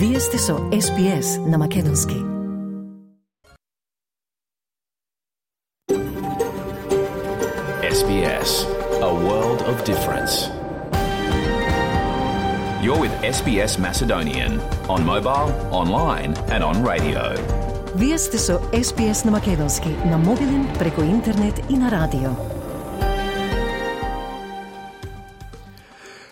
Вие сте со SPS на македонски. SBS, a world of difference. You're with SBS Macedonian on mobile, online and on radio. Вие сте со SPS на македонски, на мобилен, преку интернет и на радио.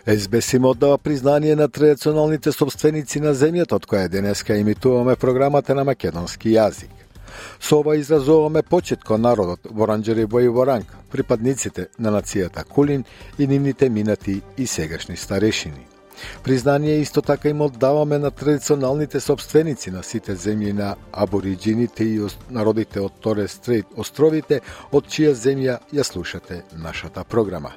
SBS им оддава признание на традиционалните собственици на земјата, од која денеска имитуваме програмата на македонски јазик. Со ова изразуваме почит кон народот Воранџери и Воранг, припадниците на нацијата Кулин и нивните минати и сегашни старешини. Признание исто така им оддаваме на традиционалните собственици на сите земји на абориџините и народите од Торес Стрейт островите, од чија земја ја слушате нашата програма.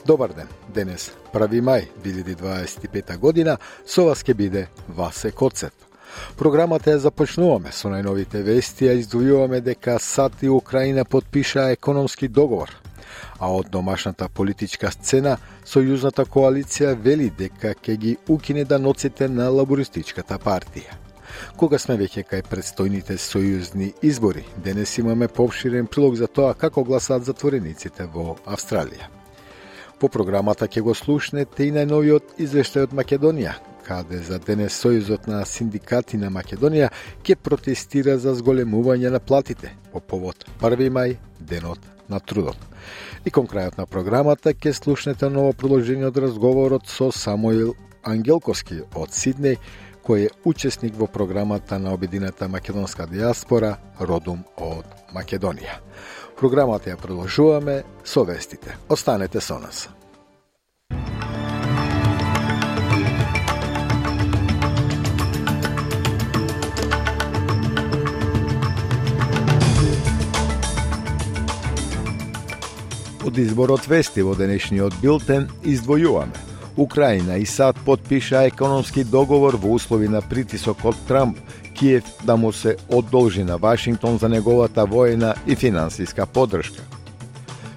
Добар ден, денес 1 мај 2025 година, со вас ќе биде Васе Коцев. Програмата ја започнуваме со најновите вести, а издвојуваме дека САД и Украина потпишаа економски договор. А од домашната политичка сцена, Сојузната коалиција вели дека ќе ги укине даноците на лабористичката партија. Кога сме веќе кај предстојните сојузни избори, денес имаме поопширен прилог за тоа како гласаат затворениците во Австралија. По програмата ќе го слушнете и најновиот извештај од Македонија, каде за денес Сојузот на синдикати на Македонија ќе протестира за зголемување на платите по повод 1 мај, денот на трудот. И кон крајот на програмата ќе слушнете ново продолжение од разговорот со Самуил Ангелковски од Сиднеј, кој е учесник во програмата на обединета македонска диаспора Родум од Македонија. Програмата ја продолжуваме со вестите. Останете со нас. Од изборот вести во денешниот билтен издвојуваме. Украина и САД потпиша економски договор во услови на притисок од Трамп, Киев да му се одолжи на Вашингтон за неговата војна и финансиска поддршка.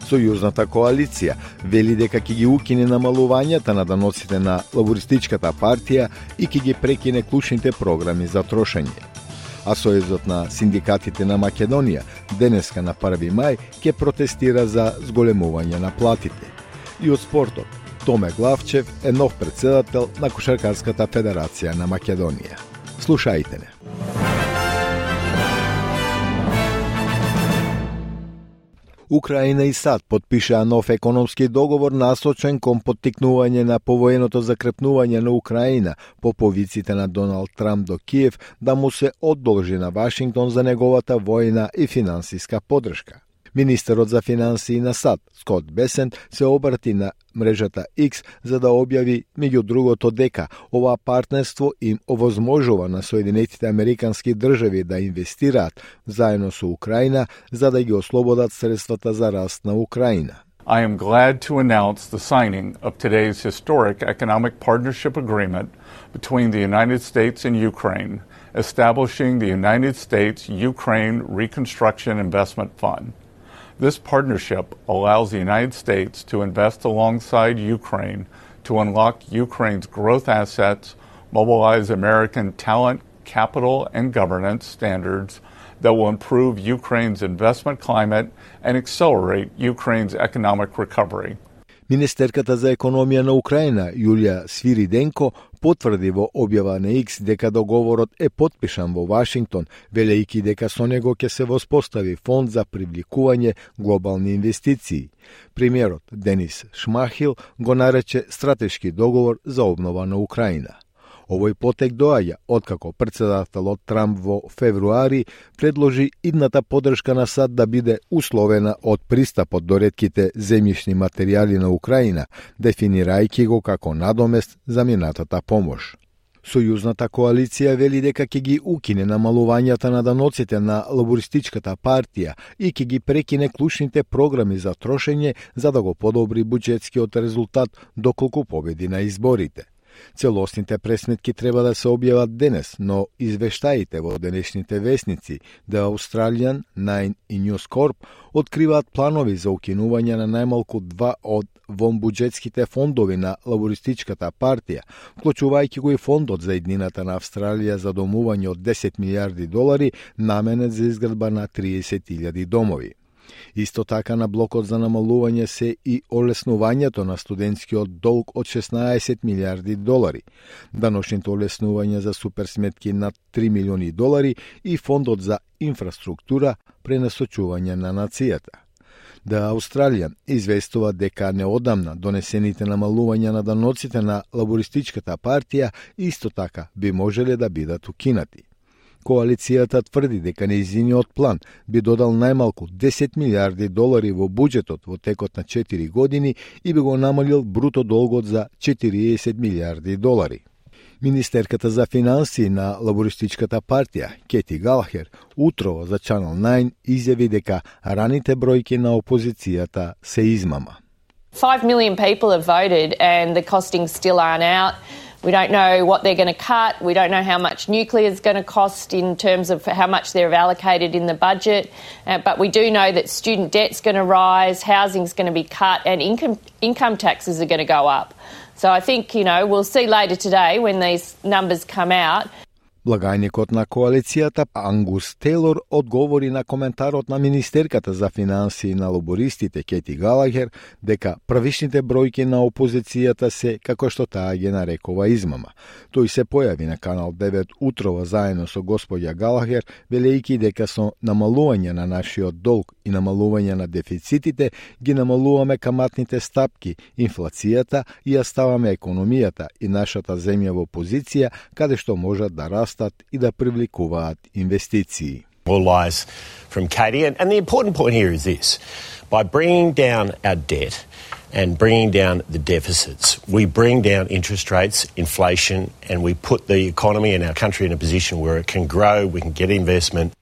Сојузната коалиција вели дека ќе ги укине намалувањата на даноците на лабористичката партија и ќе ги прекине клучните програми за трошење. А Сојузот на синдикатите на Македонија денеска на 1 мај ќе протестира за зголемување на платите. И од спортот, Томе Главчев е нов председател на Кошаркарската федерација на Македонија. Слушајте не. Украина и САД потпишаа нов економски договор насочен кон поттикнување на повоеното закрепнување на Украина по повиците на Доналд Трамп до Киев да му се одолжи на Вашингтон за неговата војна и финансиска поддршка. Министерот за финансии на САД, Скот Бесент, се обрати на мрежата X за да објави, меѓу другото, дека ова партнерство им овозможува на Соединетите Американски држави да инвестираат заедно со Украина за да ги ослободат средствата за раст на Украина. I am glad to announce the signing of today's historic economic partnership agreement between the United States and Ukraine, establishing the United States-Ukraine Reconstruction Investment Fund. This partnership allows the United States to invest alongside Ukraine to unlock Ukraine's growth assets, mobilize American talent, capital, and governance standards that will improve Ukraine's investment climate and accelerate Ukraine's economic recovery. Министерката за економија на Украина, Јулија Свириденко, потврди во објава на X дека договорот е потпишан во Вашингтон, велејќи дека со него ќе се воспостави фонд за привлекување глобални инвестиции. Премиерот Денис Шмахил го нарече стратешки договор за обнова на Украина. Овој потек доаѓа откако председателот Трамп во февруари предложи идната поддршка на САД да биде условена од пристапот до ретките земјишни материјали на Украина, дефинирајќи го како надомест за минатата помош. Сојузната коалиција вели дека ќе ги укине намалувањата на даноците на лабористичката партија и ќе ги прекине клучните програми за трошење за да го подобри буџетскиот резултат доколку победи на изборите. Целосните пресметки треба да се објават денес, но извештаите во денешните весници The Australian, Nine и News Corp откриваат планови за укинување на најмалку 2 од вонбуџетските фондови на лабористичката партија, вклучувајќи го и фондот за еднината на Австралија за домување од 10 милиарди долари наменет за изградба на 30.000 домови. Исто така на блокот за намалување се и олеснувањето на студентскиот долг од 16 милиарди долари, даношните олеснувања за суперсметки над 3 милиони долари и фондот за инфраструктура пренасочување на нацијата. The Australian известува дека неодамна донесените намалувања на даноците на лабористичката партија исто така би можеле да бидат укинати. Коалицијата тврди дека нејзиниот план би додал најмалку 10 милиарди долари во буџетот во текот на 4 години и би го намалил бруто долгот за 40 милиарди долари. Министерката за финансии на лабористичката партија, Кети Галахер, утрово за Channel 9 изјави дека раните бројки на опозицијата се измама. 5 million people have voted and the costings still aren't out. We don't know what they're going to cut. We don't know how much nuclear is going to cost in terms of how much they've allocated in the budget. But we do know that student debt's going to rise, housing's going to be cut, and income taxes are going to go up. So I think, we'll see later today when these numbers come out. Благајникот на коалицијата Ангус Тейлор одговори на коментарот на министерката за финансии на лабористите Кети Галагер дека првишните бројки на опозицијата се, како што таа ги нарекува, измама. Тој се појави на Канал 9 утрово заедно со господја Галагер, велејќи дека со намалување на нашиот долг и намалување на дефицитите ги намалуваме каматните стапки, инфлацијата и ја ставаме економијата и нашата земја во позиција каде што можат да растат и да привлекуваат инвестиции. All lies from Katie, and the important point here is this: by bringing down our debt and bringing down the deficits, we bring down interest rates, inflation, and we put the economy and our country in a position where it can grow, we can get investment.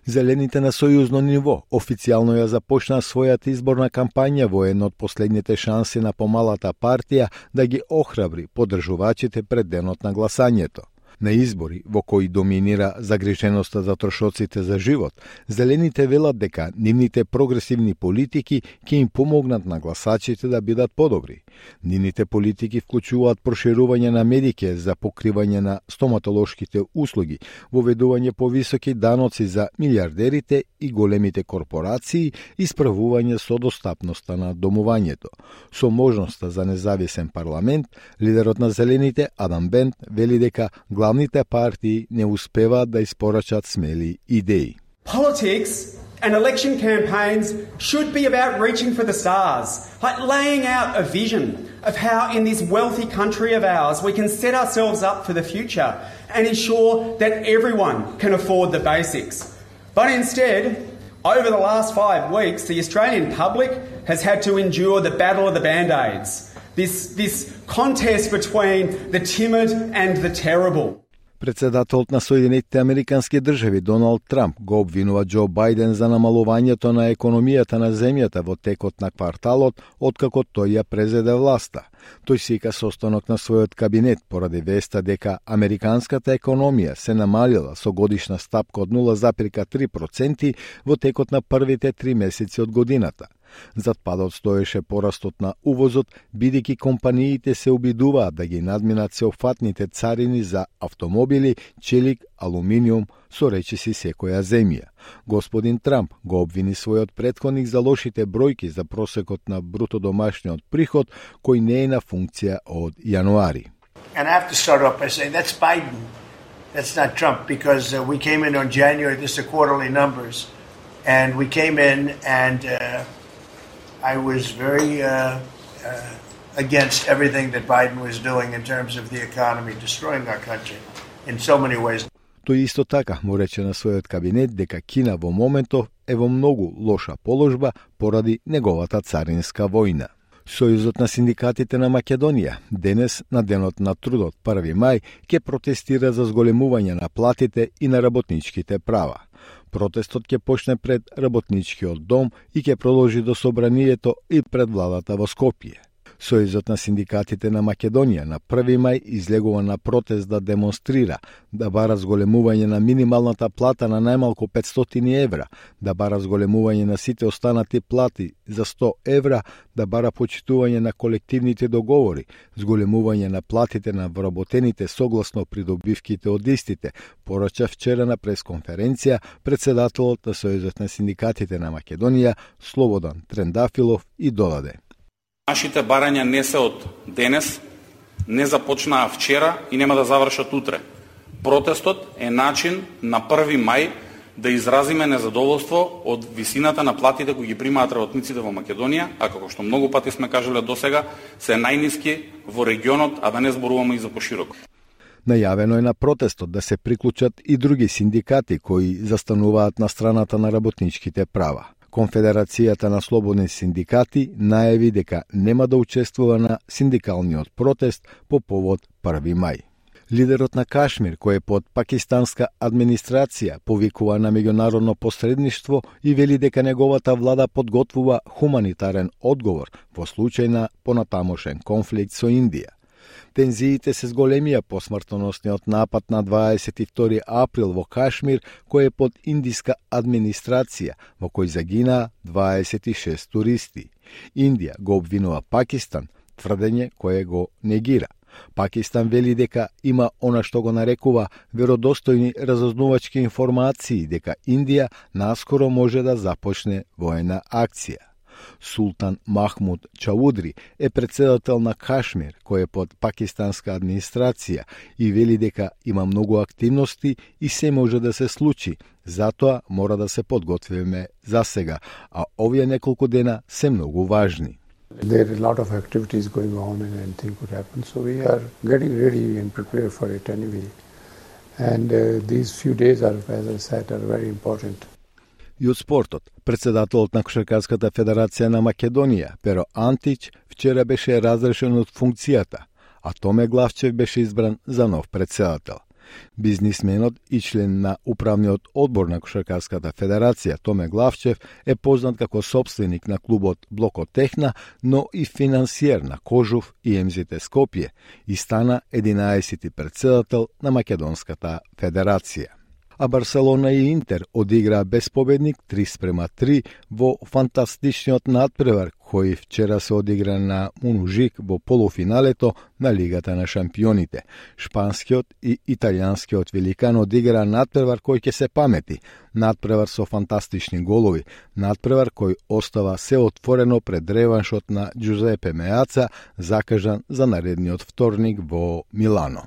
Зелените на сојузно ниво официјално ја започнаа својата изборна кампања во една од последните шанси на помалата партија да ги охрабри поддржувачите пред денот на гласањето. На избори во кои доминира загриженоста за трошоците за живот, зелените велат дека нивните прогресивни политики ќе им помогнат на гласачите да бидат подобри. Нивните политики вклучуваат проширување на Медике за покривање на стоматолошките услуги, воведување повисоки даноци за милиардерите и големите корпорации и справување со достапноста на домувањето. Со можноста за независен парламент, лидерот на зелените Адам Бент вели дека главните партии не успеваат да испорачат смели идеи. Politics and election campaigns should be about reaching for the stars, like laying out a vision of how in this wealthy country of ours we can set ourselves up for the future and ensure that everyone can afford the basics. But instead, over the last 5 weeks, the Australian public has had to endure the battle of the Band-Aids. This contest between the timid and the terrible. Председателот на Соединетите Американски држави Доналд Трамп го обвинува Џо Бајден за намалувањето на економијата на земјата во текот на кварталот откако тој ја презеде власта. Тој сика состанок на својот кабинет поради веста дека американската економија се намалила со годишна стапка од 0,3% во текот на првите 3 месеци од годината. Зад падот стоеше порастот на увозот, бидејќи компаниите се обидуваат да ги надминат сеопфатните царини за автомобили, челик, алуминиум, со речиси секоја земја. Господин Трамп го обвини својот претходник за лошите бројки за просекот на бруто домашниот приход, кој не е на функција од јануари. And I have to start off by saying that's Biden. That's not Trump, because we came in on January, this are quarterly numbers, and we came in and I was very against everything that Biden was doing in terms of the economy, destroying our country in so many ways. Тој исто така му рече на својот кабинет дека Кина во моментов е во многу лоша положба поради неговата царинска војна. Сојузот на синдикатите на Македонија денес на денот на трудот 1 мај ќе протестира за зголемување на платите и на работничките права. Протестот ќе почне пред работничкиот дом и ќе продолжи до собранието и пред владата во Скопје. Сојузот на синдикатите на Македонија на 1 мај излегува на протест да демонстрира, да бара зголемување на минималната плата на најмалку 500 евра, да бара зголемување на сите останати плати за 100 евра, да бара почитување на колективните договори, зголемување на платите на вработените согласно придобивките од истите, порача вчера на пресконференција председателот на Сојузот на синдикатите на Македонија Слободан Трендафилов и додаде: Нашите барања не се од денес, не започнаа вчера и нема да завршат утре. Протестот е начин на 1 мај да изразиме незадоволство од висината на платите кои ги примаат работниците во Македонија, а како што многу пати сме кажале досега, се најниски во регионот, а да не зборуваме и за пошироко. Најавено е на протестот да се приклучат и други синдикати кои застануваат на страната на работничките права. Конфедерацијата на слободни синдикати најави дека нема да учествува на синдикалниот протест по повод 1 мај. Лидерот на Кашмир, кој е под пакистанска администрација, повикува на меѓународно посредништво и вели дека неговата влада подготвува хуманитарен одговор во случај на понатамошен конфликт со Индија. Тензиите се зголемија по смртоносниот напад на 22 април во Кашмир, кој е под индиска администрација, во кој загинаа 26 туристи. Индија го обвинува Пакистан, тврдење кое го негира. Пакистан вели дека има она што го нарекува веродостојни разузнавачки информации дека Индија наскоро може да започне воена акција. Султан Махмуд Чаудри е председател на Кашмир, кој е под пакистанска администрација и вели дека има многу активности и се може да се случи, затоа мора да се подготвиме за сега, а овие неколку дена се многу важни. There are a lot of activities going on and anything could happen, so we are getting ready and prepared for it anyway. And these few days are, as I said, are very important. И од спортот, председателот на Кошаркарската федерација на Македонија, Перо Антич, вчера беше разрешен од функцијата, а Томе Главчев беше избран за нов председател. Бизнисменот и член на управниот одбор на Кошаркарската федерација Томе Главчев е познат како сопственик на клубот Блокотехна, но и финансиер на Кожув и МЗТ Скопје и стана 11-ти председател на Македонската федерација. А Барселона и Интер одиграа без победник 3:3 во фантастичниот надпревар кој вчера се одигра на Мунужик во полуфиналето на Лигата на шампионите. Шпанскиот и италијанскиот великан одиграа надпревар кој ќе се памети. Надпревар со фантастични голови. Надпревар кој остава се отворено пред реваншот на Джузепе Меаца, закажан за наредниот вторник во Милано.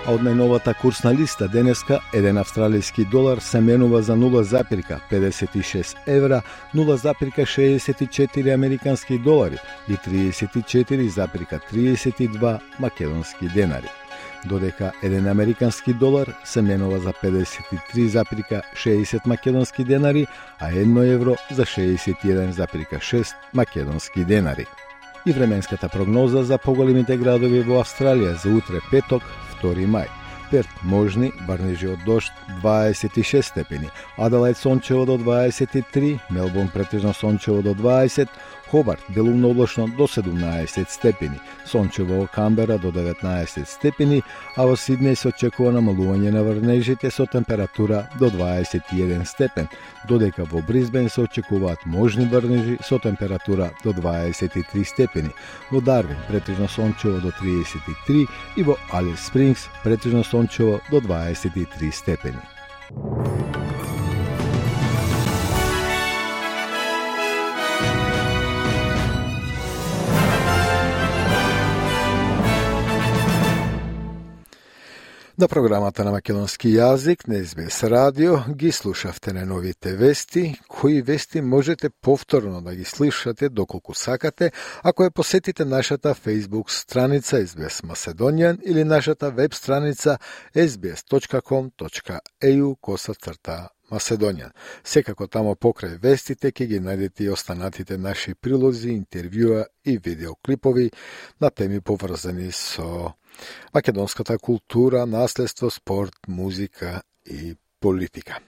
А од најновата курсна листа денеска, еден австралиски долар се менува за 0,56 евра, 0,64 американски долари и 34,32 македонски денари. Додека еден американски долар се менува за 53,60 македонски денари, а 1 евро за 61,6 македонски денари. И временската прогноза за поголемите градови во Австралија за утре петок, 2 мај. Перт можни, врнежи од дожд 26 степени, Аделајд сончево до 23, Мелбурн претежно сончево до 20, Хобарт делумно облачно до 17 степени, сончево во Камбера до 19 степени, а во Сиднеј се очекува намалување на врнежите со температура до 21 степен, додека во Брисбен се очекуваат можни врнежи со температура до 23 степени, во Дарвин претежно сончево до 33 и во Алис Спрингс претежно сончево до 23 степени. На програмата на македонски јазик на СБС радио ги слушавте на новите вести, кои вести можете повторно да ги слушате доколку сакате, ако ја посетите нашата Facebook страница SBS Macedonian или нашата веб страница sbs.com.au/Macedonian. Секако тамо покрај вестите ќе ги најдете и останатите наши прилози, интервјуа и видеоклипови на теми поврзани со македонската култура, наследство, спорт, музика и политика.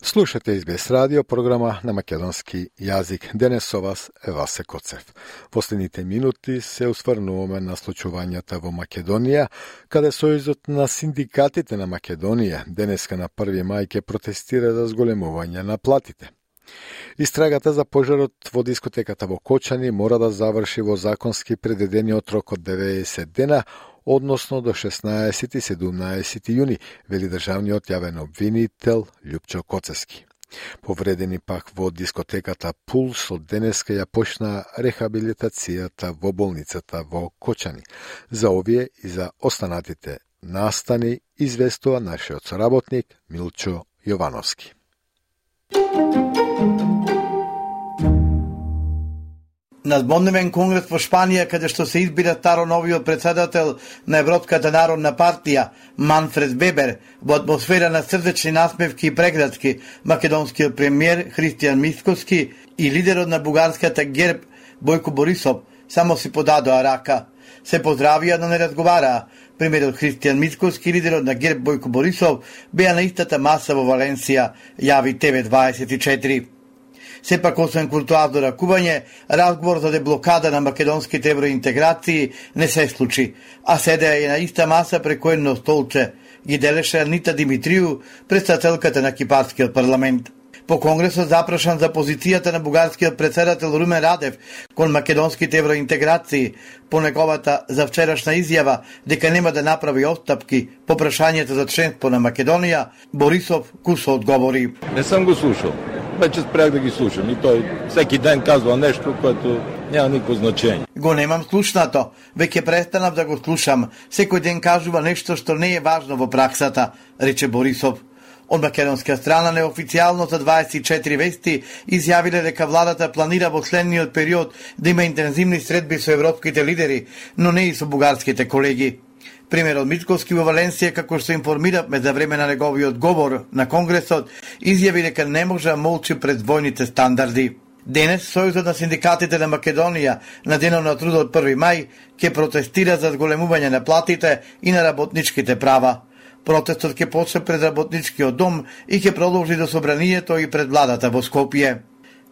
Слушате SBS радио, програма на македонски јазик. Денес со вас е Васе Коцев. Последните минути се осврнуваме на случувањата во Македонија, каде Сојузот на синдикатите на Македонија денеска на 1 мај ќе протестира за зголемување на платите. Истрагата за пожарот во дискотеката во Кочани мора да заврши во законски предвидениот рок од 90 дена, односно до 16 и 17 јуни, вели државниот јавен обвинител Љупчо Коцевски. Повредени пак во дискотеката Пулс од денеска ја почна рехабилитацијата во болницата во Кочани. За овие и за останатите настани известува нашиот соработник Милчо Јовановски. На зборневен конгрес во Шпанија, каде што се избира старо новиот председател на Европската народна партија, Манфред Вебер, во атмосфера на срдечни насмевки и преградки, македонскиот премиер Христијан Мицкоски и лидерот на бугарската ГЕРБ Бојко Борисов само си подадоа рака. Се поздравија, но не разговараа. Премиерот Христијан Мицкоски и лидерот на ГЕРБ Бојко Борисов беа на истата маса во Валенсија, јави TV24. Сепак, освен куртуазно ракување, разговор за деблокада на македонските евроинтеграции не се случи, а седеа и на иста маса преку едно столче, ги делеше Анита Димитрију, председателката на кипарскиот парламент. По конгресот запрашан за позицијата на бугарскиот председател Румен Радев кон македонските евроинтеграции, по неговата за вчерашна изјава дека нема да направи отстапки по прашањето за членство на Македонија, Борисов кусо одговори: Не сам го слушал. Вече спрях да ги слушам и тој всеки ден казва нешто което нема никакво значење. Го немам слушнато, веќе престанав да го слушам. Секој ден кажува нешто што не е важно во праксата, рече Борисов. Од македонска страна неофицијално за 24 вести изјавиле дека владата планира во следниот период да има интензивни средби со европските лидери, но не и со бугарските колеги. Премиерот Мицкоски во Валенсија, како што информиравме за време на неговиот говор на Конгресот, изјави дека не може да молчи пред двојните стандарди. Денес Сојузот на синдикатите на Македонија на денот на трудот 1 мај ќе протестира за зголемување на платите и на работничките права. Протестот ќе почне пред работничкиот дом и ќе продолжи до собранието и пред владата во Скопје.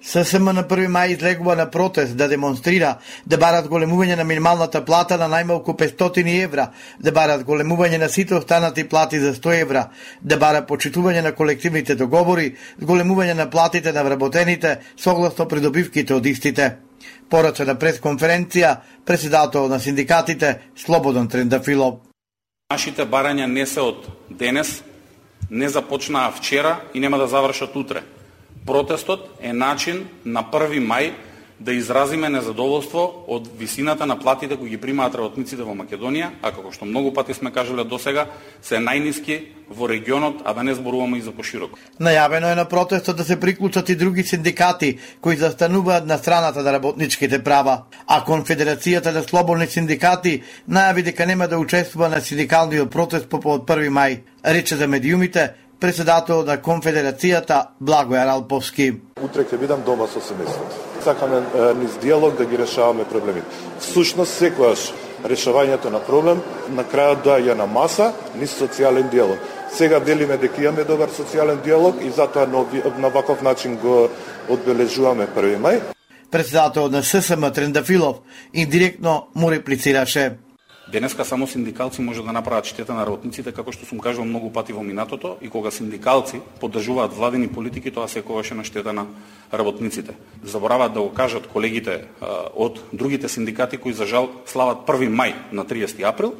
ССМ на 1 мај излегува на протест да демонстрира, да барат големување на минималната плата на најмалку 500 евра, да барат големување на сите останати плати за 100 евра, да барат почитување на колективните договори, големување на платите на вработените согласно придобивките од истите. Порача на пресконференција председател на синдикатите Слободан Трендафилов. Нашите барања не се од денес, не започнаа вчера и нема да завршат утре. Протестот е начин на 1 мај да изразиме незадоволство од висината на платите кои ги примаат работниците во Македонија, а како што многу пати сме кажале досега, се најниски во регионот, а да не зборуваме и за пошироко. Најавено е на протестот да се приклучат и други синдикати кои застануваат на страната на работничките права, а Конфедерацијата на слободни синдикати најави дека нема да учествува на синдикалниот протест по 1 мај, рече за медиумите председател на Конфедерацијата Благојар Алповски. Утре ќе бидам дома со семејството. Сакаме низ диалог да ги решаваме проблемите. Всушност секогаш решавањето на проблем на крајот доаѓа на маса низ социјален диалог. Сега делиме дека имаме добар социјален диалог и затоа на ваков начин го одбележуваме 1 мај. Председател на ССМ Трендафилов индиректно му реплицираше: Денеска само синдикалци може да направат штета на работниците, како што сум кажал многу пати во минатото, и кога синдикалци поддржуваат владени политики, тоа секогаш е на штета на работниците. Забораваат да го кажат колегите од другите синдикати кои за жал слават 1 мај на 30 април,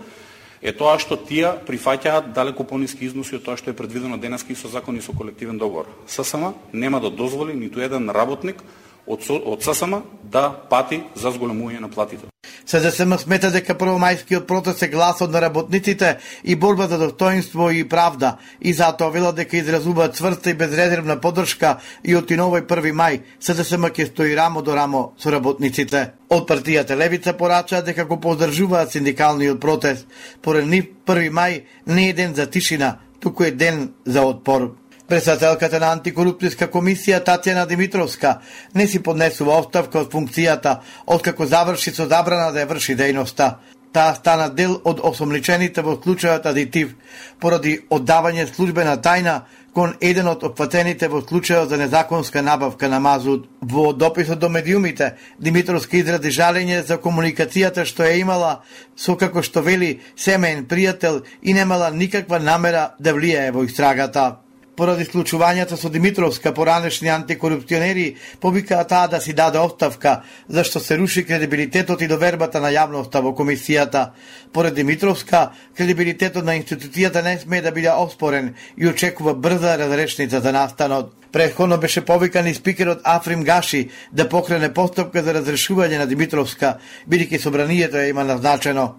е тоа што тие прифаќаат далеку пониски износи од тоа што е предвидено денеска и со закон и со колективен договор. ССМ нема да дозволи ниту еден работник од ССМ да пати за зголемување на платите. СДСМ смета дека првомајскиот протест е гласот на работниците и борба за достоинство и правда, и затоа велат дека изразуваат цврста и безрезервна поддршка и од овој 1 мај СДСМ ќе стои рамо до рамо со работниците. Од партијата Левица порачаат дека го поддржуваат синдикалниот протест. Поред нив 1 мај не е ден за тишина, туку е ден за отпор. Председателката на антикорупцијска комисија Татјана Димитровска не си поднесува оставка од функцијата откако заврши со забрана да ја врши дејноста. Таа стана дел од осомничените во случајот Адитив поради оддавање службена тајна кон еден од опфатените во случајот за незаконска набавка на мазут. Во дописот до медиумите, Димитровска изрази жалење за комуникацијата што ја имала со, како што вели, семеен пријател и немала никаква намера да влијае во истрагата. Поради случувањата со Димитровска, поранешни антикорупционери повикаа таа да си даде оставка, зашто се руши кредибилитетот и довербата на јавноста во комисијата. Поред Димитровска, кредибилитетот на институцијата не смее да биде оспорен и очекува брза разрешница за настанот. Претходно беше повикан и спикерот Африм Гаши да покрене постапка за разрешување на Димитровска, бидејќи собранието ја има назначено.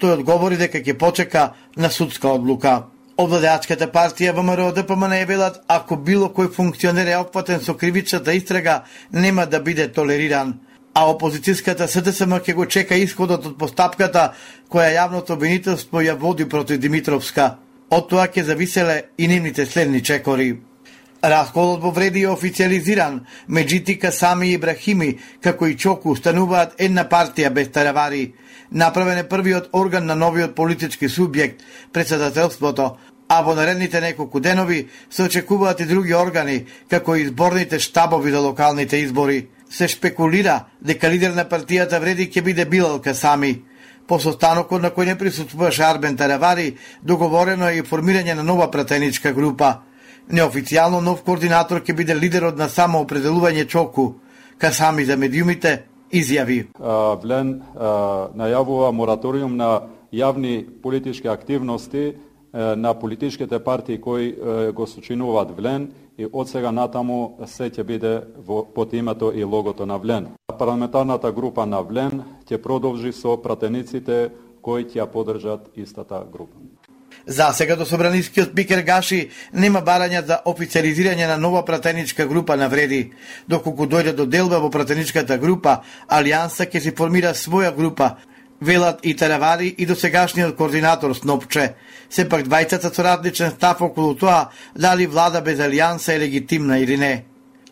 Тој одговори дека ќе почека на судска одлука. Овладеачката партија ВМРО ДПМН велат, ако било кој функционер е опфатен со кривичната истрага, нема да биде толериран. А опозицијската СДСМ ќе го чека исходот од постапката која јавното обвинителство ја води против Димитровска. Од тоа ќе зависеле и нивните следни чекори. Расколот во Вреди е официализиран. Меджити, Касами и Ибрахими, како и Чоку, стануваат една партија без таравари. Направен е првиот орган на новиот политички субјект, председателството, а во наредните неколку денови се очекуваат и други органи, како и изборните штабови за локалните избори. Се шпекулира дека лидер на партијата Вреди ќе биде Билал Касами. По состанокот на кој не присуствуваше Арбен Таравари, договорено е и формирање на нова пратеничка група. Неофицијално нов координатор ќе биде лидерот на самоопределување Чоку. Касами за медиумите изјави. Влен најавува мораториум на јавни политички активности на политичките партии кои го сочинуваат Влен и од сега натаму се ќе биде под името и логото на Влен. Парламентарната група на Влен ќе продолжи со пратениците кои ќе ја поддржат истата група. За сега до собранискиот спикер Гаши нема барања за официализирање на нова пратеничка група на Вреди. Доколку дојде до делба во пратеничката група, Алијанса ќе си формира своја група, велат и Таравари и досегашниот координатор Снопче. Сепак двајцата со различен став околу тоа дали влада без Алијанса е легитимна или не.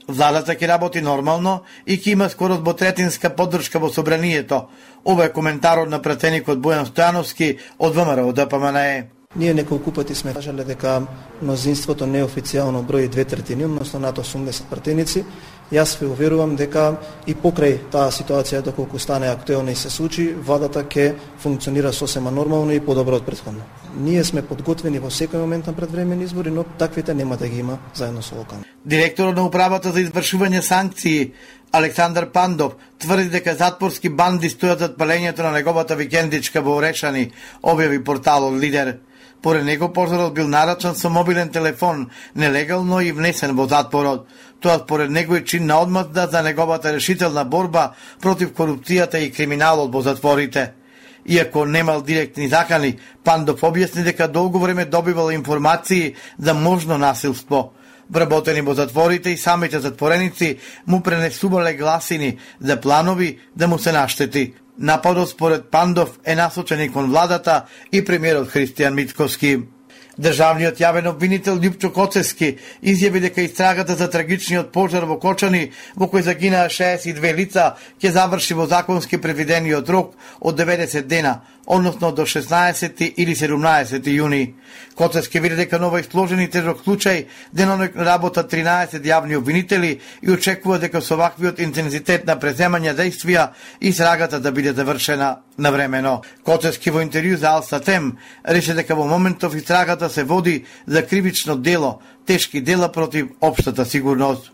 Владата ќе работи нормално и ќе има скоро двотретинска поддршка во собранието. Ова е коментарот на пратеникот Бојан Стојановски од ВМРО ДПМН. Ние неколку пати сме кажале дека мнозинството неофицијално брои 2/3, односно над 80 пратеници. Јас ве уверувам дека и покрај таа ситуација доколку стане актуелна и се случи, владата ќе функционира сосема нормално и подобро од претходно. Ние сме подготвени во секој момент на предвремени избори, но таквите нема да ги има заедно со локални. Директорот на управата за извршување санкции Александар Пандов тврди дека затворски банди стојат зад палењето на неговата викендичка во Орешани, објави порталот Лидер. Поред него пожарот бил нарачан со мобилен телефон, нелегално и внесен во затворот. Тоа според него е чин на одмазда за неговата решителна борба против корупцијата и криминалот во затворите. Иако немал директни закани, Пандов објасни дека долго време добивал информации за можно насилство. Вработени во затворите и самите затвореници му пренесувале гласини за планови да му се наштети. Нападот според Пандов е насочен и кон владата и премиерот Христијан Мицкоски. Државниот јавен обвинител Љупчо Коцевски изјави дека истрагата за трагичниот пожар во Кочани, во кој загинаа 62 лица, ќе заврши во законски предвидениот рок од 90 дена, односно до 16 или 17 јуни. Коцевски види дека нова сложен и тежок случај денонок работат 13 јавни обвинители и очекува дека со ваквиот интензитет на преземање действија истрагата да биде завршена навремено. Коцевски во интервју за Алстатем рече дека во моментов истрагата се води за кривично дело, тешки дела против општата сигурност.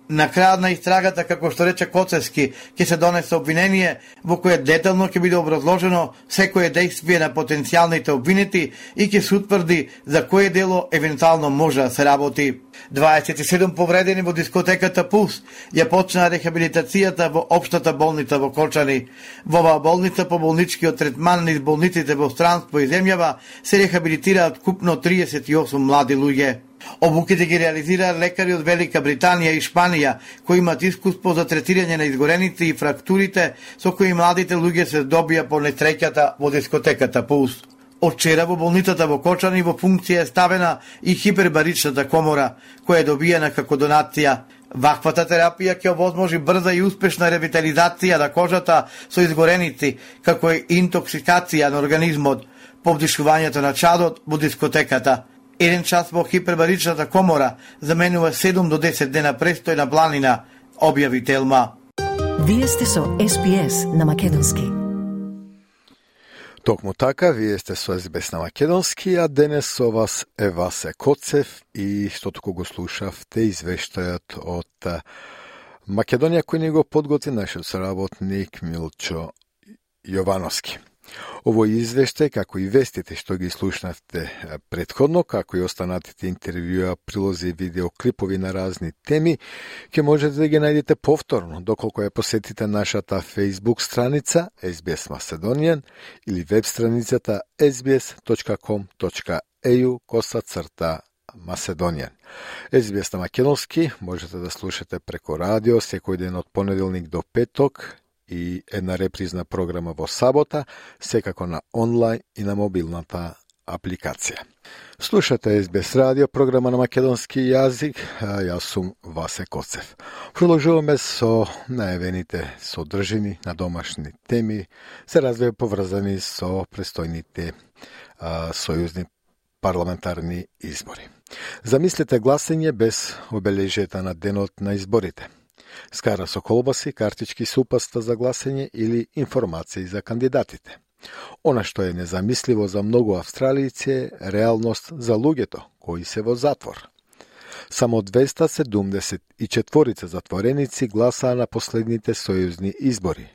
На крајот на истрагата, како што рече Коцевски, ќе се донесе обвинение во кое детално ќе биде образложено секое действие на потенцијалните обвинети и ќе се утврди за кое дело евентуално може да се работи. 27 повредени во дискотеката Пулс ја почна рехабилитацијата во општата болница во Кочани. Во оваа болница по болничкиот третман низ болниците во странство и земјава се рехабилитираат купно 38 млади луѓе. Обуките ги реализира лекари од Велика Британија и Шпанија, кои имаат искуство за третирање на изгореници и фрактурите со кои младите луѓе се добија по несреќата во дискотеката Пулс. Од вчера во болницата во Кочани во функција е ставена и хипербаричната комора, која е добиена како донација. Ваквата терапија ќе овозможи брза и успешна ревитализација на кожата со изгореници, како и интоксикација на организмот, повдишувањето на чадот во дискотеката. Еден час во хипербаричната комора заменува 7 до 10 дена престој на планина, објави Телма. Вие сте со SBS на македонски. Токму така, вие сте со SBS на македонски, а денес со вас е Васе Коцев и што туку го слушавте извештајот од Македонија кој ни го подготви нашиот соработник Милчо Јовановски. Овој извештај, како и вестите што ги слушнавте претходно, како и останатите интервјуа, прилози и видеоклипови на разни теми, ќе можете да ги најдете повторно, доколку ја посетите нашата Facebook страница SBS Macedonian или веб страницата sbs.com.au/Macedonian. SBS на македонски можете да слушате преко радио секој ден од понеделник до петок, и една репризна програма во сабота, секако на онлайн и на мобилната апликација. Слушате SBS радио, програма на македонски јазик, јас сум Васе Коцев. Продолжуваме со најавените содржини на домашни теми, се развива поврзани со престојните сојузни парламентарни избори. Замислете гласање без обележијата на денот на изборите. Скара со колбаси, картички супаста за гласање или информации за кандидатите. Она што е незамисливо за многу австралијци е реалност за луѓето кои се во затвор. Само 274 затвореници гласаа на последните сојузни избори,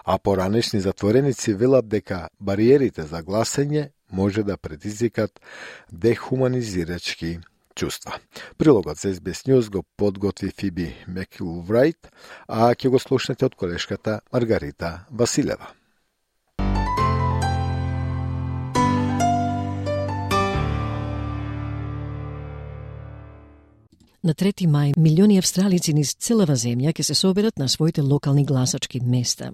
а поранешни затвореници велат дека бариерите за гласање може да предизвикат дехуманизирачки чувства. Прилогот за SBS News го подготви Фиби Мекилврајт, а ќе го слушнете од колешката Маргарита Василева. На 3 мај, милиони австралици низ целава земја ќе се соберат на своите локални гласачки места.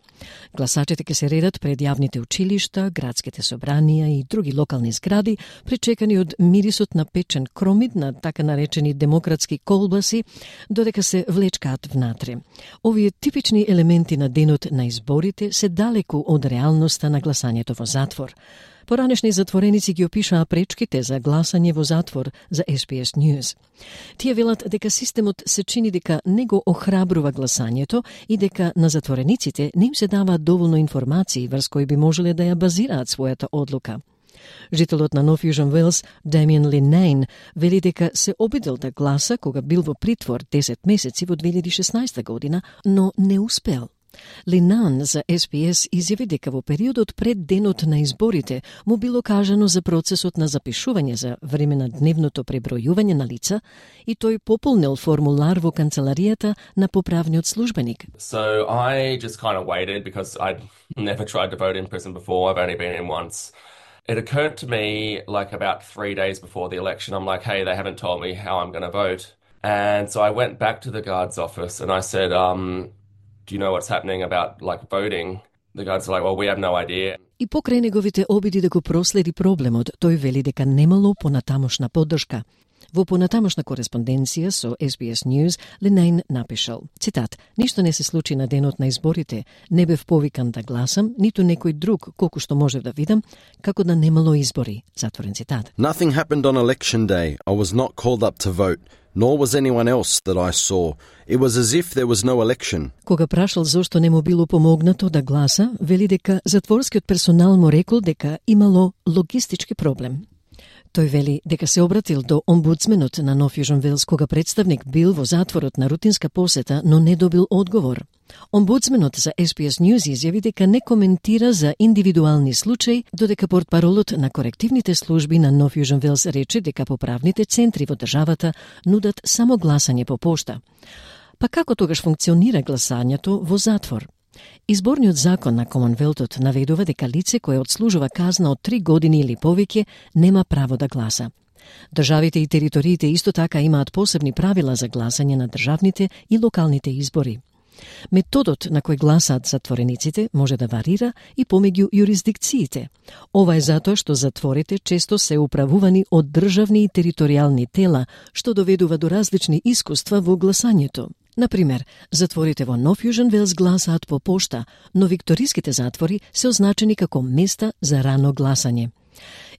Гласачите ќе се редат пред јавните училишта, градските собранија и други локални згради, пречекани од мирисот на печен кромид на така наречени демократски колбаси, додека се влечкаат внатре. Овие типични елементи на денот на изборите се далеку од реалноста на гласањето во затвор. Поранешни затвореници ги опишаа пречките за гласање во затвор за SBS News. Тие велат дека системот се чини дека не го охрабрува гласањето и дека на затворениците не им се даваат доволно информации врз кои би можеле да ја базираат својата одлука. Жителот на Нов Јужен Велс, Дамиен Линейн, вели дека се обидел да гласа кога бил во притвор 10 месеци во 2016 година, но не успел. Линан за SBS изјави дека во периодот пред денот на изборите му било кажано за процесот на запишување за време на дневното пребројување на лица и тој пополнил формулар во канцеларијата на поправниот службеник. So I just kind of waited because I'd never tried to vote in prison before. I've only been in once. It occurred to me like about 3 days before the election. I'm like, hey, they haven't told me how I'm going to vote. And so I went back to the guard's office and I said, do you know what's happening about like voting? The guards are like, well, we have no idea. И покрај неговите обиди да го проследи проблемот, тој вели дека немало понатамошна поддршка. Во понатамошна кореспонденција со SBS News, Линейн напишал, цитат, ништо не се случи на денот на изборите, не бев повикан да гласам, ниту некој друг, колку што можев да видам, како да немало избори, затворен цитат. Nothing happened on election day. I was not called up to vote. Nor was anyone else that I saw. It was as if there was no election. Кога прашал зошто не му било помогнато да гласа, вели дека затворскиот персонал му рекол дека имало логистички проблем. Тој вели дека се обратил до омбудсменот на Нов Јужен Велс кога представник бил во затворот на рутинска посета, но не добил одговор. Омбудсменот за SBS News изјави дека не коментира за индивидуални случаи, додека портпаролот на корективните служби на Нов Јужен Велс рече дека поправните центри во државата нудат само гласање по пошта. Па како тогаш функционира гласањето во затвор? Изборниот закон на Комонвелтот наведува дека лице кое одслужува казна од 3 години или повеќе нема право да гласа. Државите и териториите исто така имаат посебни правила за гласање на државните и локалните избори. Методот на кој гласаат затворениците може да варира и помеѓу јурисдикциите. Ова е затоа што затворите често се управувани од државни и територијални тела, што доведува до различни искуства во гласањето. Например, затворите во Нов Јужен Велс гласаат по пошта, но викториските затвори се означени како места за рано гласање.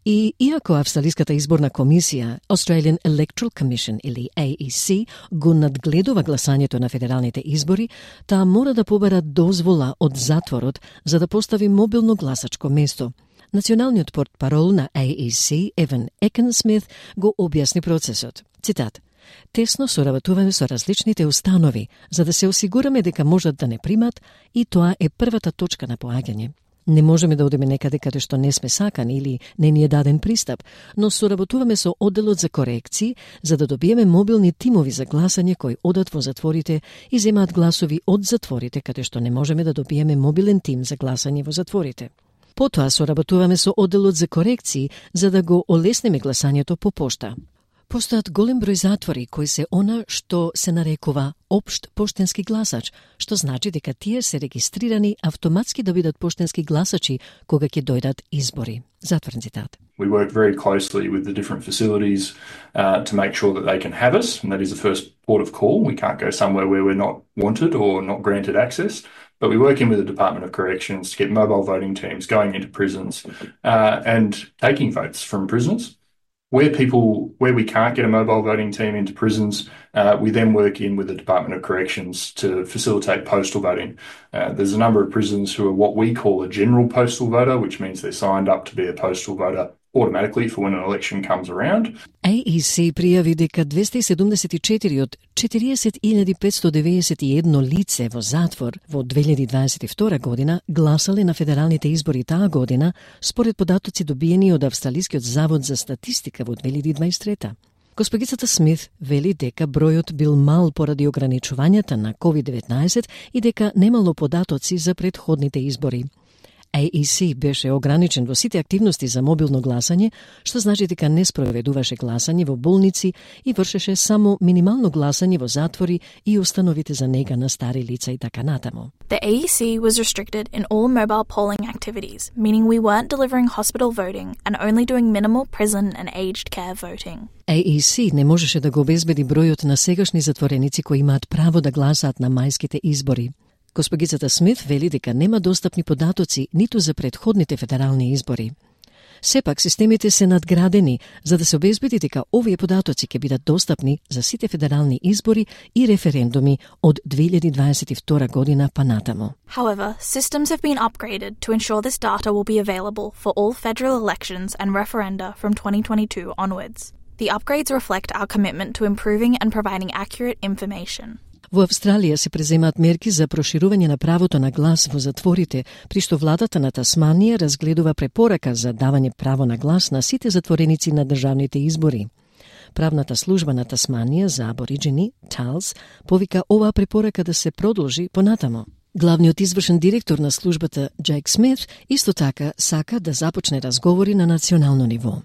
И иако Австралиската изборна комисија, Australian Electoral Commission или AEC, го надгледува гласањето на федералните избори, таа мора да побара дозвола од затворот за да постави мобилно гласачко место. Националниот портпарол на AEC, Еван Екенсмит, го објасни процесот. Цитат: "Тесно соработуваме со различните установи, за да се осигураме дека можат да не примат и тоа е првата точка на поаѓање. Не можеме да одиме некаде каде што не сме сакани или не ни е даден пристап, но соработуваме со одделот за корекции за да добиеме мобилни тимови за гласање кои одат во затворите и земаат гласови од затворите каде што не можеме да добиеме мобилен тим за гласање во затворите. Потоа соработуваме со одделот за корекции за да го олеснеме гласањето по пошта. Постојат голем број затвори кои се она што се нарекува општ поштенски гласач, што значи дека тие се регистрирани автоматски да бидат поштенски гласачи кога ќе дојдат избори. Затворен цитат. We work very closely with the different facilities to make sure that they can have us, and that is the first port of call. We can't go somewhere where we're not wanted or not granted access, but we work in with the Department of Corrections to get mobile voting teams going into prisons and taking votes from prisoners. Where we can't get a mobile voting team into prisons, we then work in with the Department of Corrections to facilitate postal voting. There's a number of prisons who are what we call a general postal voter, which means they're signed up to be a postal voter automatically for when an election comes around. AEC пријави дека 274 од 40.591 лице во затвор во 2022 година гласале на федералните избори таа година, според податоци добиени од Австралискиот завод за статистика во 2023. Госпогицата Смит вели дека бројот бил мал поради ограничувањата на COVID-19 и дека немало податоци за претходните избори. AEC беше ограничен во сите активности за мобилно гласање, што значи дека не спроведуваше гласање во болници и вршеше само минимално гласање во затвори и установите за нега на стари лица и така натаму. The AEC was restricted in all mobile polling activities, meaning we weren't delivering hospital voting and only doing minimal prison and aged care voting. AEC не можеше да го обезбеди бројот на сегашни затвореници кои имаат право да гласаат на мајските избори. Госпогицата Смит вели дека нема достапни податоци ниту за претходните федерални избори. Сепак, системите се надградени за да се обезбеди дека овие податоци ќе бидат достапни за сите федерални избори и референдуми од 2022 година па натаму. However, systems have been upgraded to ensure this data will be available for all federal elections and referenda from 2022 onwards. The upgrades reflect our commitment to improving and providing accurate information. Во Австралија се преземаат мерки за проширување на правото на глас во затворите, при што владата на Тасманија разгледува препорака за давање право на глас на сите затвореници на државните избори. Правната служба на Тасманија за абориджени, ТАЛС, повика оваа препорака да се продолжи понатамо. Главниот извршен директор на службата, Джейк Смит, исто така сака да започне разговори на национално ниво.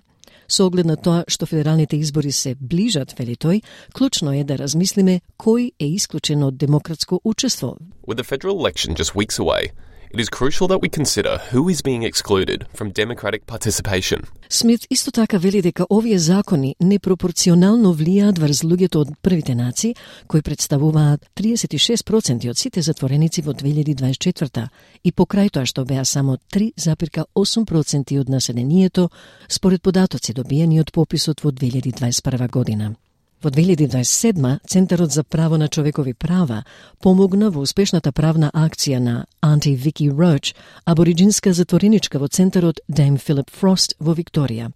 Со оглед на тоа што федералните избори се ближат, вели тој, клучно е да размислиме кој е исклучен од демократско учество. With the federal election just weeks away, it is crucial that we consider who is being excluded from democratic participation. Смит исто така вели дека овие закони непропорционално влијаат врз луѓето од првите нации, кои представуваат 36% од сите затвореници во 2024 и покрај тоа што беа само 3,8% од населението, според податоци добиени од пописот во 2021 година. Во 2027 Центарот за право на човекови права помогна во успешната правна акција на Auntie Vicky Roach, абориджинска затвореничка во Центарот Dame Philip Frost во Викторија.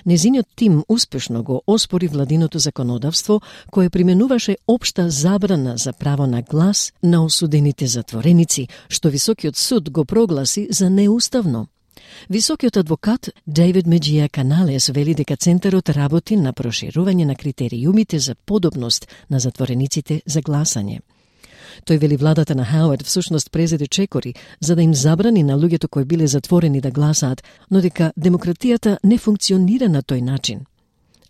Незиниот тим успешно го оспори владиното законодавство кое применуваше општа забрана за право на глас на осудените затвореници, што Високиот суд го прогласи за неуставно. Високиот адвокат Дейвид Меджија Каналес вели дека Центарот работи на проширување на критериумите за подобност на затворениците за гласање. Тој вели владата на Хауард всушност презеде чекори за да им забрани на луѓето кои биле затворени да гласаат, но дека демократијата не функционира на тој начин.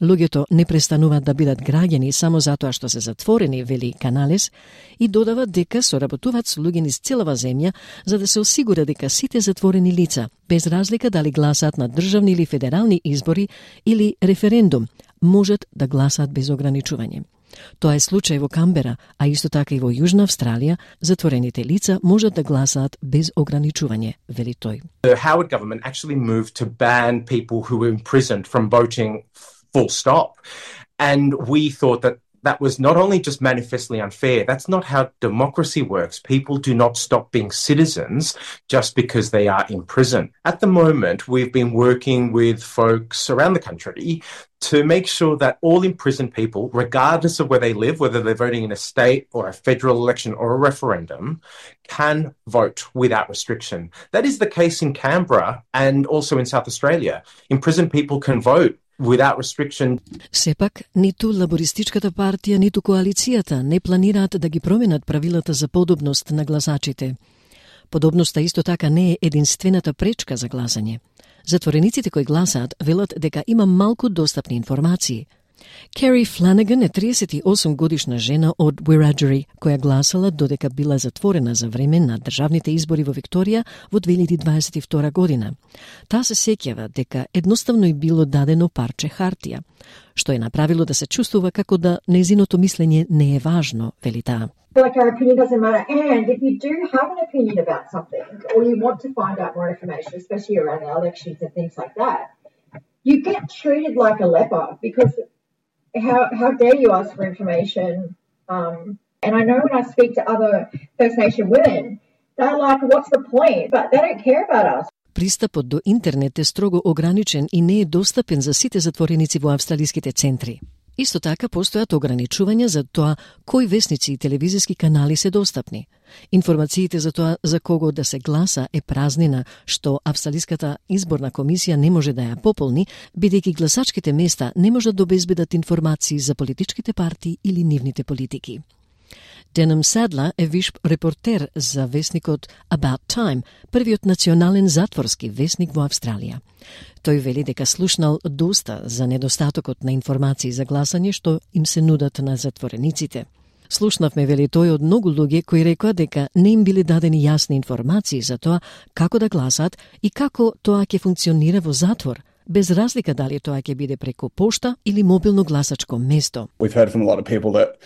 Луѓето не престануваат да бидат граѓани само затоа што се затворени, вели Каналес, и додава дека соработуваат со луѓе низ целава земја за да се осигура дека сите затворени лица, без разлика дали гласаат на државни или федерални избори или референдум, можат да гласаат без ограничување. Тоа е случај во Камбера, а исто така и во Јужна Австралија, затворените лица можат да гласаат без ограничување, вели тој. The Howard government actually moved to ban people who were imprisoned from voting full stop. And we thought that was not only just manifestly unfair, that's not how democracy works. People do not stop being citizens just because they are in prison. At the moment, we've been working with folks around the country to make sure that all imprisoned people, regardless of where they live, whether they're voting in a state or a federal election or a referendum, can vote without restriction. That is the case in Canberra and also in South Australia. Imprisoned people can vote without restriction. Сепак, ниту Лабористичката партија, ниту коалицијата не планираат да ги променат правилата за подобност на гласачите. Подобноста исто така не е единствената пречка за гласање. Затворениците кои гласаат велат дека има малку достапни информации. Кери Фланаган е 38 годишна жена од Wiradjuri, која гласала додека била затворена за време на државните избори во Викторија во 2022 година. Таа се сеќава дека едноставно и било дадено парче хартија, што е направило да се чувствува како да нејзиното мислење не е важно, вели таа. Like our opinion doesn't matter, and if you do have an opinion about something, or you want to find out more information, especially around the elections and things like that, you get treated like a leper because how dare you ask for information? And I know when I speak to other First Nation women, they're like, what's the point? But they don't care about us. Пристапот до интернет е строго ограничен и не е достапен за сите затвореници во австралиските центри. Исто така постојат ограничувања за тоа кои весници и телевизиски канали се достапни. Информациите за тоа за кого да се гласа е празнина, што Австралиската изборна комисија не може да ја пополни, бидејќи гласачките места не можат да обезбедат информации за политичките партии или нивните политики. Денем Садла е виш репортер за весникот About Time, првиот национален затворски весник во Австралија. Тој вели дека слушнал доста за недостатокот на информации за гласање што им се нудат на затворениците. Слушнавме, вели тој, од многу луѓе кои рекоа дека не им биле дадени јасни информации за тоа како да гласат и како тоа ќе функционира во затвор, без разлика дали тоа ќе биде преку пошта или мобилно гласачко место. We've heard from a lot of people that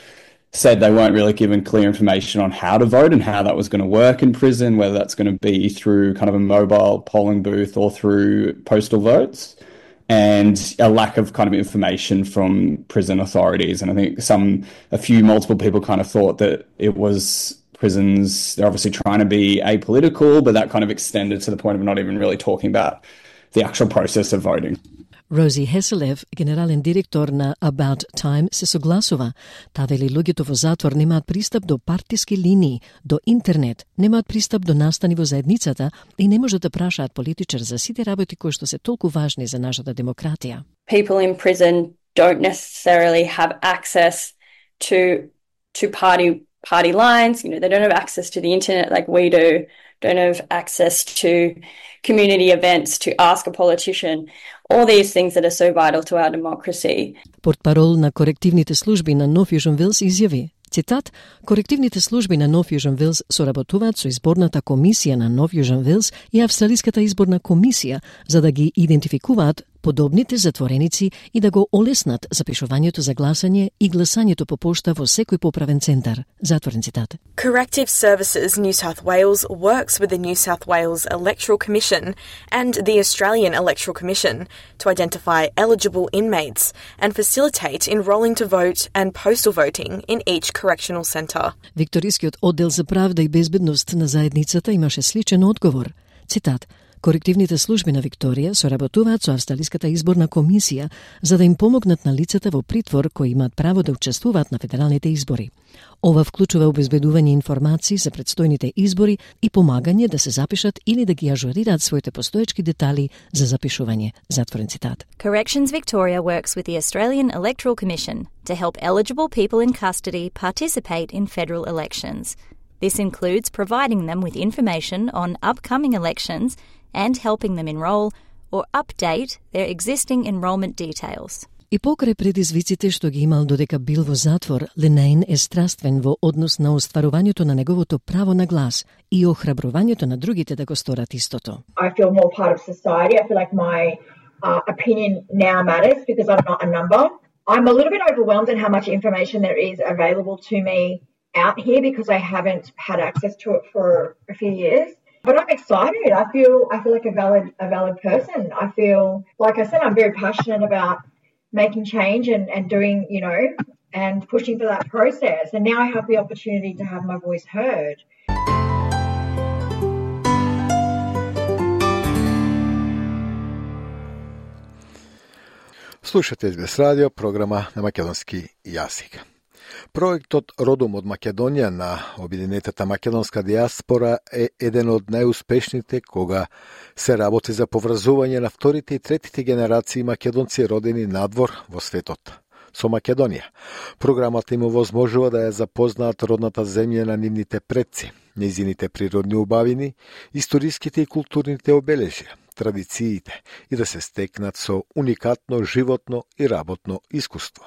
said they weren't really given clear information on how to vote and how that was going to work in prison, whether that's going to be through kind of a mobile polling booth or through postal votes, and a lack of kind of information from prison authorities. And I think multiple people kind of thought that it was prisons, they're obviously trying to be apolitical, but that kind of extended to the point of not even really talking about the actual process of voting. Рози Хеселев, генерален директор на About Time, се согласува. Та вели луѓето во затвор немаат пристап до партиски линии, до интернет, немаат пристап до настани во заедницата и не можат да прашаат политичар за сите работи кои што се толку важни за нашата демократија. People in prison don't necessarily have access to party lines. You know, they don't have access to the internet like we do. Don't have access to community events to ask a politician. All these things that are so vital to our democracy. Портпарол на корективните служби на Нов Јужен Велс изјави, цитат, корективните служби на Нов Јужен Велс соработуваат со изборната комисија на Нов Јужен Велс и Австралиската изборна комисија за да ги идентификуваат подобните затвореници и да го олеснат запишувањето за гласање и гласањето по пошта во секој поправен центар. Затворен цитат. Corrective Services New South Wales works with the New South Wales Electoral Commission and the Australian Electoral Commission to identify eligible inmates and facilitate enrolling to vote and postal voting in each correctional centre. Викторискиот оддел за правда и безбедност на заедницата имаше сличен одговор. Цитат: Корективните служби на Викторија соработуваат со Австралиската изборна комисија за да им помогнат на лицата во притвор кои имаат право да учествуваат на федералните избори. Ова вклучува обезбедување информации за предстојните избори и помагање да се запишат или да ги ажурираат своите постоечки детали за запишување. Затворен цитат. Corrections Victoria works with the Australian Electoral Commission to help eligible people in custody participate in federal elections. This includes providing them with information on upcoming elections and helping them enroll or update their existing enrolment details. И покрај предизвиците што ги имал додека бил во затвор, Ленейн е страствен во однос на остварувањето на неговото право на глас и охрабрувањето на другите да го сторат истото. I feel more part of society. I feel like my opinion now matters because I'm not a number. I'm a little bit overwhelmed at how much information there is available to me out here because I haven't had access to it for a few years. But I'm excited. I feel like a valid person. I feel, like I said, I'm very passionate about making change and doing, and pushing for that process. And now I have the opportunity to have my voice heard. Слушате СБС радио, програма на македонски јазик. Проектот Родом од Македонија на Обединетата македонска диаспора е еден од најуспешните кога се работи за поврзување на вторите и третите генерации македонци родени надвор во светот со Македонија. Програмата им овозможува да ја запознаат родната земја на нивните предци, нејзините природни убавини, историските и културните обележја, традициите и да се стекнат со уникатно животно и работно искуство.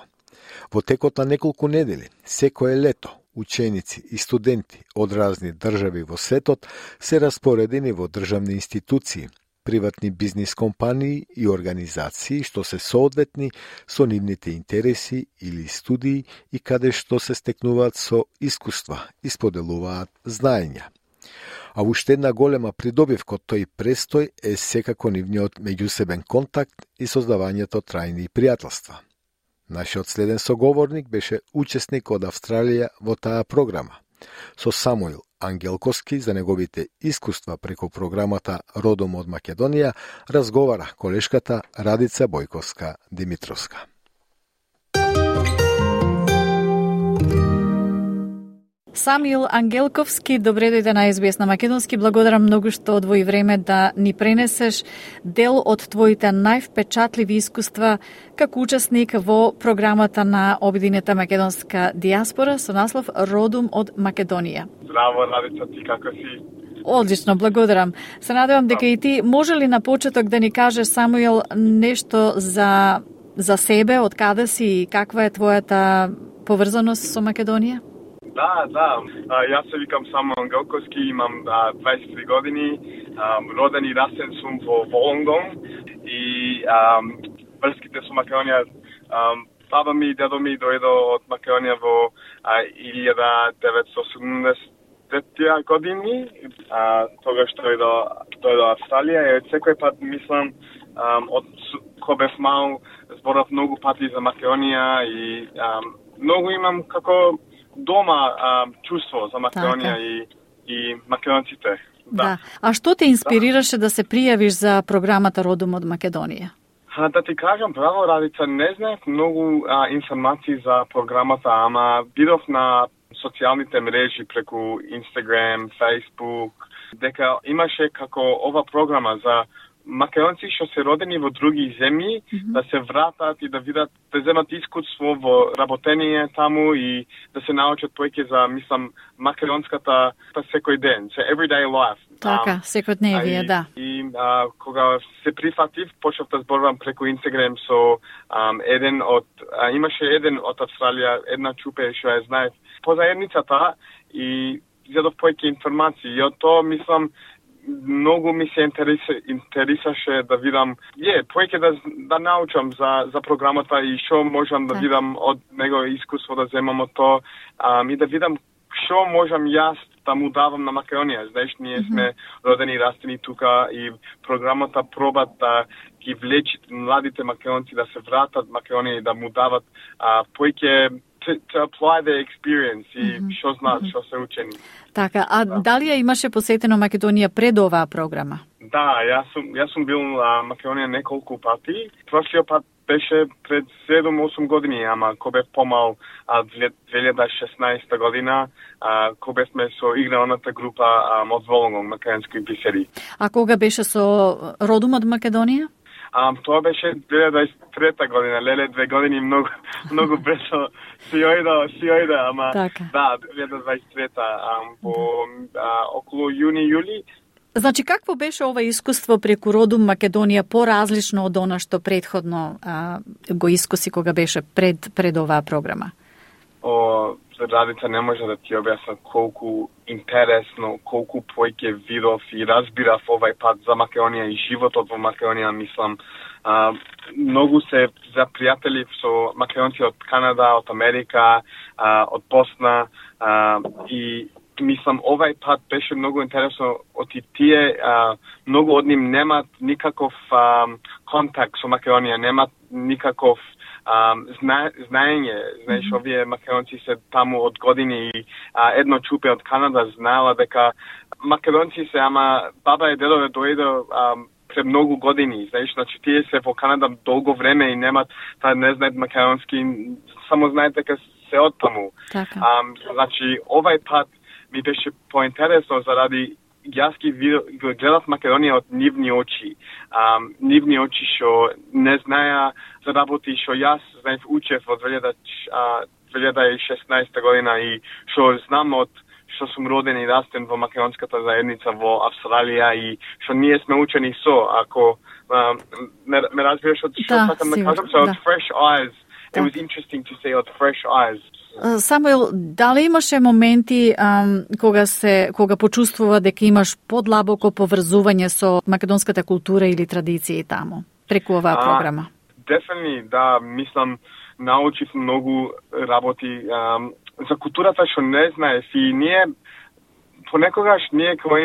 Во текот на неколку недели, секое лето, ученици и студенти од разни држави во светот се распоредени во државни институции, приватни бизнис компании и организации што се соодветни со нивните интереси или студии и каде што се стекнуваат со искуства и споделуваат знаења. А уште една голема придобивка од тој престој е секако нивниот меѓусебен контакт и создавањето трајни пријателства. Нашиот следен соговорник беше учесник од Австралија во таа програма. Со Самуил Ангелковски за неговите искуства преку програмата Родом од Македонија разговара колешката Радица Бојковска-Димитровска. Самуил Ангелковски, добре дојде на СБС на македонски. Благодарам многу што одвои време да ни пренесеш дел од твоите највпечатливи искуства како учесник во програмата на Обединета македонска диаспора со наслов Родом од Македонија. Здраво, Радица, ти како си? Одлично, благодарам. Се надевам дека и ти може ли на почеток да ни кажеш, Самуил, нешто за себе, од каде си и каква е твојата поврзаност со Македонија? Да, јас се викам Самуил Ангелковски, имам 23 години, роден и растен сум во Волонгон и врските со Македонија, баба ми и дедо ми дојдо од Македонија во 1970 години, тогаш дојдо Австралија и од секој пат мислам, од кога бев мал, зборав многу пати за Македонија и многу имам како дома чувство за Македонија и македонците. Да. А што те инспирираше да се пријавиш за програмата Родом од Македонија? Да ти кажам право, Радица, не знаев многу информации за програмата, ама видов на социјалните мрежи преку Instagram, Facebook, дека имаше како ова програма за македонци што се родени во други земји, да се вратат и да видат, да земат искуство во работење таму и да се научат повеќе за, мислам, македонската секој ден, so everyday life. Така, секојдневие, да. И кога се прифатив, почнав да зборувам преку Instagram со еден од, имаше еден од Австралија, една чупе што ја знаев по заедницата и зедов повеќе информации. И од тоа, мислам, многу ми се интересаше да видам, повеќе да научам за програмата и што можам да видам од него искуство да земам од тоа и да видам што можам јас да му давам на Македонија. Знаеш, ние сме родени и растени тука и програмата пробат да ги влечи младите македонци да се вратат Македонија и да му дават повеќе to apply the experience и што знаат, што се учени. Така, а дали ја имаше посетено Македонија пред оваа програма? Да, јас сум бил на Македонија неколку пати. Прошлиот пат беше пред 7-8 години, ама кога бев помал 2016 година, кога бевме со игралната група од Волонгон, македонски писари. А кога беше со Родом од Македонија? Тоа беше 2023 година, леле 2 години многу брзо си ојде, ама така. Да, 2023 по околу јуни-јули. Значи, какво беше ова искуство преку Родом Македонија поразлично од она што претходно го искуси кога беше пред оваа програма? Радица не може да ти објасна колку интересно, колку поќе видов и разбирав овај пат за Македонија и животот во Македонија, мислам. Многу се запријатели со македонци од Канада, од Америка, од Босна и мислам овај пат беше многу интересно од тие многу од нив немат никаков контакт со Македонија, немат никаков знаење. Знаеш, овие македонци се таму од години и едно чупе од Канада знаела дека македонци се, ама баба и дедове дојде пред многу години. Знаеш, значи тие се во Канада долго време и немат, не знаат македонски, само знаат дека се од таму. Значи овај пат ми беше поинтересно заради јас ги гледав Македонија од нивни очи. Нивни очи што не знаја за работи што јас знаев учев од 2016 година и што знам од што сум роден и растен во македонската заедница во Австралија и што ние сме учени со, ако ме разбираш од што сакам да кажам, so од fresh eyes. It was interesting to say od fresh eyes. Самуил, дали имаше моменти кога почувствува дека имаш подлабоко поврзување со македонската култура или традиции таму, преку оваа програма? Definitely, да, мислам, научив многу работи за културата што не знаев и ние, понекогаш ние кога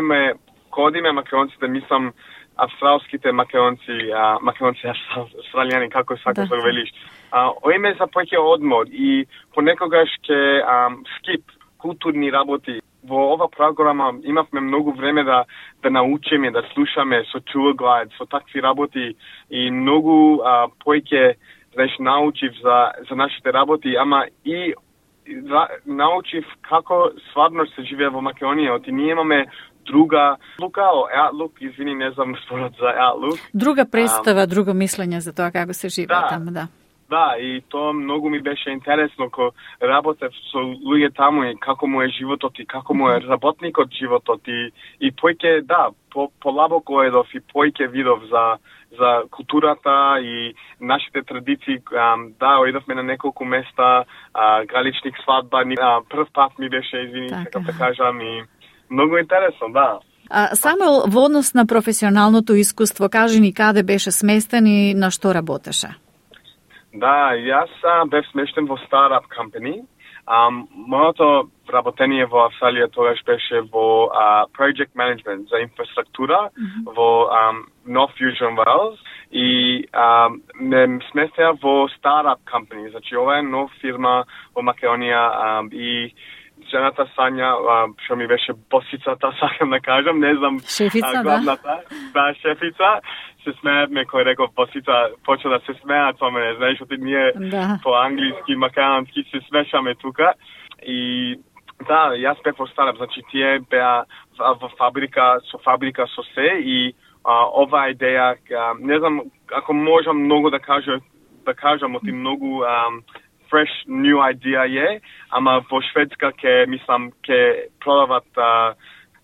одиме македонците, мислам, австралските македонци, австралијани, како сакаш да го велиш, оиме за поќе одмор и понекогаш ке скип културни работи. Во ова програма имавме многу време да научиме, да слушаме со tour guide, со такви работи и многу поќе, знаеш, научив за нашите работи, ама и научив како стварно се живее во Македонија. И ние имаме друга outlook, извини, не знам според за outlook. Друга представа, друго мислење за тоа како се живее таму, да. Да, и тоа многу ми беше интересно, ко работев со луѓе таму и како му е животот и како му е работникот животот и поќе, да, полабоко едов и поќе видов за културата и нашите традиции. Да, оидовме на неколку места, галичник свадба, прв пат ми беше, извини, сакам да кажам, и многу интересно, да. Самуил, во однос на професионалното искуство, кажи ни каде беше сместен и на што работеше? Да, јас бев смештен во Startup Company. Моето работење во Австралија тогаш беше во Project Management за инфраструктура во North Fusion Wales и ме сместеа во Startup Company. Значи, ова е нов фирма во Македонија и жената Сања, што ми беше босицата, сакам да кажам, не знам, шефица, главната, да, шефица, се смеевме кој реков босица, почна да се смеат со мене, знаеш, оти ние по англиски, македонски се смешаме тука и да, јас бев во Старап, значи тие беа во фабрика со се и оваа идеја, не знам, ако можам многу да кажам, оти многу fresh new idea е, ама во Шведска ке продават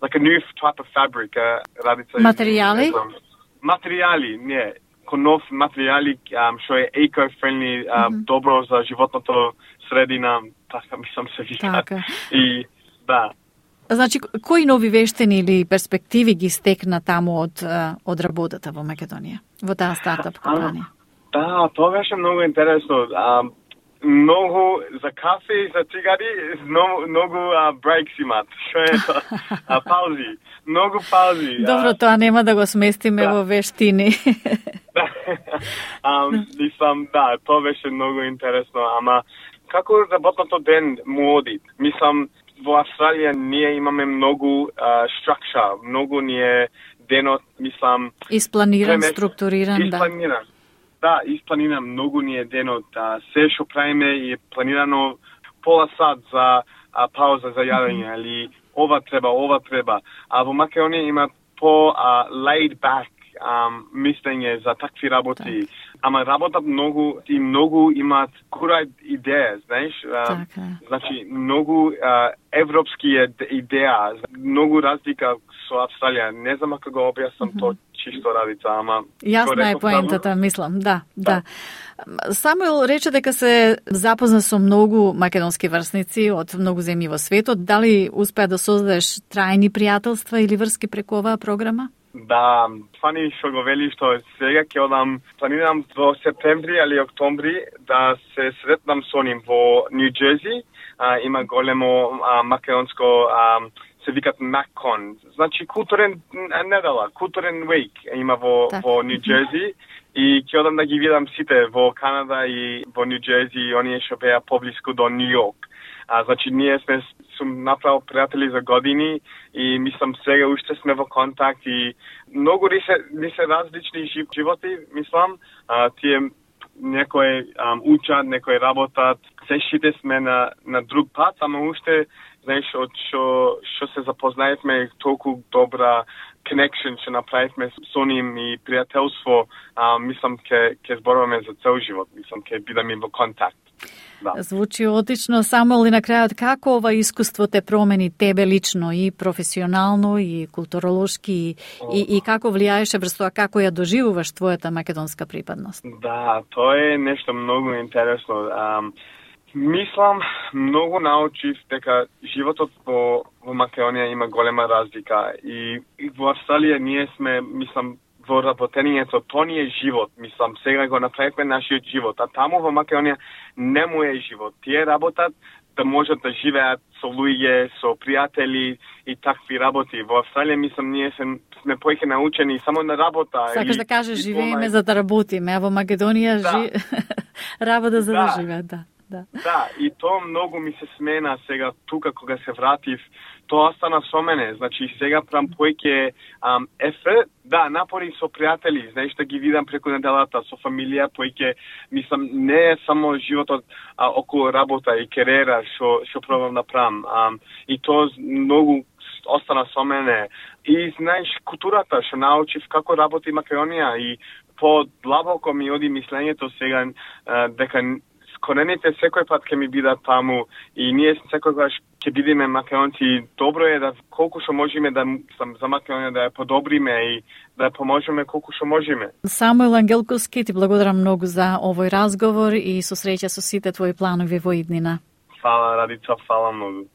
like a new type of fabric, Радица. Материјали? Материјали, не. Нов материјали што е eco-friendly, добро за животното средина, така мислам се вика. Така. И да. Значи, кои нови вештини или перспективи ги стекна таму од работата во Македонија, во таа стартап компанија? Да, тоа беше многу интересно. Многу за кафе и за цигари, многу брейкс имат. Што е тоа? Паузи. Многу паузи. Добро, тоа нема да го сместиме во вештини. Мислам, да, тоа беше многу интересно, ама како работното ден му оди? Мислам, во Австралија ние имаме многу structure, многу ни е денот, мислам... Испланиран, структуриран, да. Да, испланиран, многу ни е денот. Се што правиме е планирано пола сат за пауза за јадење, или ова треба. А во Македонија има по laid back мислење за такви работи. ама работат многу и многу имаат кура идеја, знаеш? Значи, многу европски идеја, многу разлика со Австралија. Не знам како го објаснам то чисто Радица, ама... Јасна е поентата, мислам, да. Самуил рече дека се запозна со многу македонски врсници од многу земји во светот. Дали успеа да создадеш трајни пријателства или врски преку оваа програма? Да, фани што го вели што сега ќе одам, планирам во септември или октомври да се сретнам со ним во Нью Джерси. Има големо македонско се викат MacCon. Значи културен недела, културен week има во Нью Джерси и ќе одам да ги видам сите во Канада и во Нью Джерси и оние што беа поблиску до Нью Йорк. Значи ние сум направил пријатели за години и мислам сега уште сме во контакт и многу ни се различни животи, мислам. Тие некои учат, некои работат, сите сме на друг пат, ама уште знаеш, од што се запознаевме толку добра connection што направивме со ним и пријателство, мислам ќе зборуваме за цел живот, мислам ќе бидеме во контакт. Да. Звучи отлично. Самуил, и на крајот, како ова искуство те промени тебе лично и професионално и културолошки и како влијаеше врз тоа како ја доживуваш твојата македонска припадност? Да, тоа е нешто многу интересно. Мислам, многу научив дека животот во Македонија има голема разлика и во Австралија ние сме, мислам, во работењето, тоа ни е живот, мислам, сега го направивме нашиот живот, а таму во Македонија не му е живот. Тие работат да можат да живеат со луѓе, со пријатели и такви работи. Во Австралија, мислам, ние сме поиќе научени само на работа. Сакаш да кажеш, живееме за да работиме, а во Македонија работа за да живеат, да. Да, и тоа многу ми се смена сега тука кога се вратив, тоа остана со мене. Значи сега прам поиќе да, напори со пријатели, знаеш да ги видам преку неделата со фамилија, поиќе мислам не е само животот околу работа и кариера што пробам да правам. И тоа многу остана со мене. И знаеш културата што научив како работи Македонија и подлабоко ми оди мислењето сега дека корените секој пат ќе ми бидат таму и ние секогаш ќе бидеме македонци. Добро е да колку што можеме да за Македонија да ја подобриме и да ја поможеме колку што можеме. Самуил Ангелковски, ти благодарам многу за овој разговор и со среќа со сите твои планови во иднина. Фала Радица, фала многу.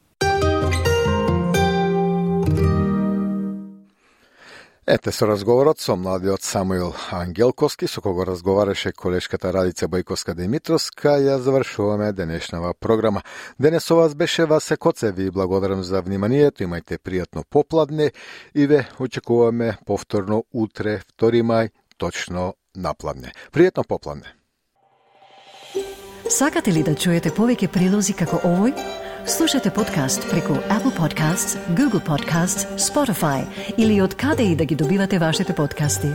Ете со разговорот со младиот Самуил Ангелковски, со кого разговараше колешката Радица Бојковска-Димитровска, ја завршуваме денешнава програма. Денес со вас беше Васе Коце, ви благодарам за вниманието, имајте пријатно попладне и ве очекуваме повторно утре, 2 мај, точно напладне. Пријатно попладне. Сакате ли да чуете повеќе прилози како овој? Слушате подкаст преку Apple Podcasts, Google Podcasts, Spotify или од каде и да ги добивате вашите подкасти.